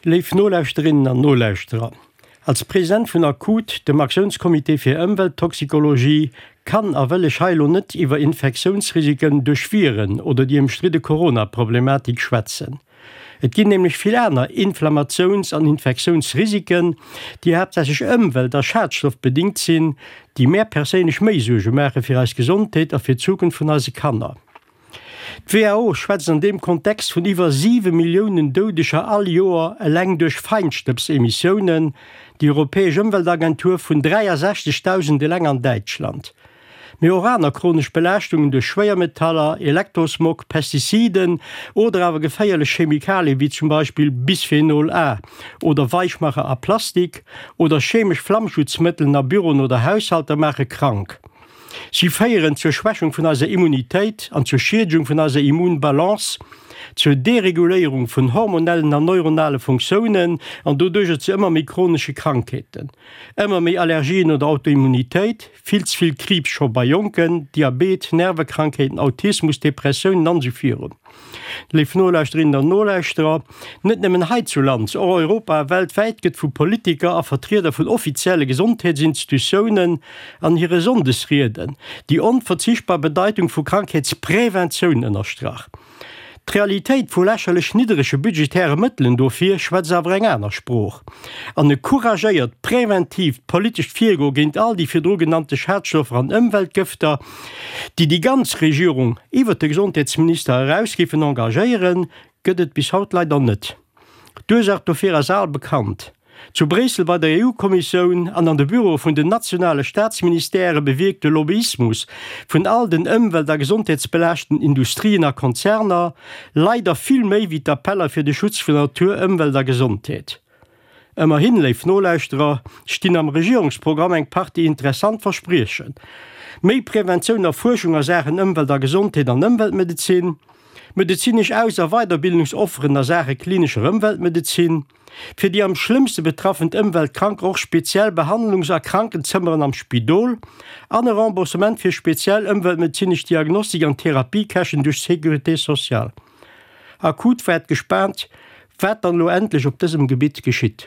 Léif Nolauschterinnen an Nolauschterer, als President vun ACUT, dem Aktiounscomité fir Ëmwelttoxikologie, kann a wëll ech hei elo net iwwer Infektiounsrisiken duerch Viren oder déi ëmstridde Corona-Problematik schwätzen. Et ginn nämlech vill aner Inflammatiouns an Infektiounsrisiken, déi haaptsächlech ëmwelt a schadstoffbedingt sinn, déi mär perséinlech méi Suerge maache fir eis Gesondheet a fir d'Zukunft vun eise Kanner. D'WHO schwätzt an deem Kontext vun iwwer 7 Milliounen Doudeger all Joer eleng duerch Feinstëbsemissiounen, déi europäesch Ëmweltagentur vun 63.000 eleng an Däitschland. Mee och aner chronesch Belaaschtungen duerch Schwéiermetaller, Elektrosmog, Pestiziden oder awer geféierlech Chemikalie wéi zum Beispill Bisphenol A oder Weichmacher a Plastik oder chemesch Flammschutzmëttelen a Büroen oder Haushalter maache krank. Si féieren zur Schwächung vun eiser Immunitéit an zur Schiedegung vun eiser Immunbalance, zur Dereguléierung vun hormonellen an neuronale Funktiounen an doduercher zu ëmmer méi chronesche Krankheeten, ëmmer méi Allergien oder Autoimmunitéit, vill ze vill Kriibs scho bei Jonken, Diabet, Nervekrankheeten, Autismus, Depressiounen an esou virun. Léif Nolauschterinnen an Nolauschterer, net nëmmen heizuland, och europa a weltwäit gëtt vu Politiker a Vertrieder vun offizielle Gesondheetsinstitutiounen an hire Sonndesrieden déi onverzichtbar Bedeitung vu Krankheetspräventioun ënnerstrach. D'Realitéit vu lächerlech nidderege budgetäre Mëttelen dofir schwätzt awer eng aner Sprooch. An e couragéiert, preventiivt politescht Virgoe géint all déi virdru genannte Schadstoffer an Ëmweltgëfter, déi déi ganz Regierung iwwert de Gesondheetsminister eraus géifen engagéieren, gëtt et bis haut leider net. D'Ursaach dofir ass al bekannt. Zu Bréissel bei der EU-Kommissioun an an de Büroe vun den nationale Staatsministèrë bewierkt de Lobbyismus vun all den ëmwelt a gesondheetsbelaaschten Industrien a Konzerner leider vill méi wéi d'Appeller fir de Schutz vun Natur, Ëmwelt a Gesondheet. Ëmmerhin, léif Nolauschterer, stinn am Regierungsprogramm eng Partie interessant Verspriechen, méi Preventioun a Fuerschung a Saachen Ëmwelt a Gesondheet an Ëmweltmedezin, medezinesch Aus a Weiderbildungsofferen a Saache klinescher Ëmweltmedezin, fir déi am schlëmmste betraffent Ëmweltkranker och speziell Behandlungs a Krankenzëmmeren am Spidol an e Remboursement fir speziell ëmweltmedezinesch Diagnostik an Therapiekäschten duerch d'Sécurité sociale. Akut waart gespaant, wat dann elo endlech op dësem Gebitt geschitt.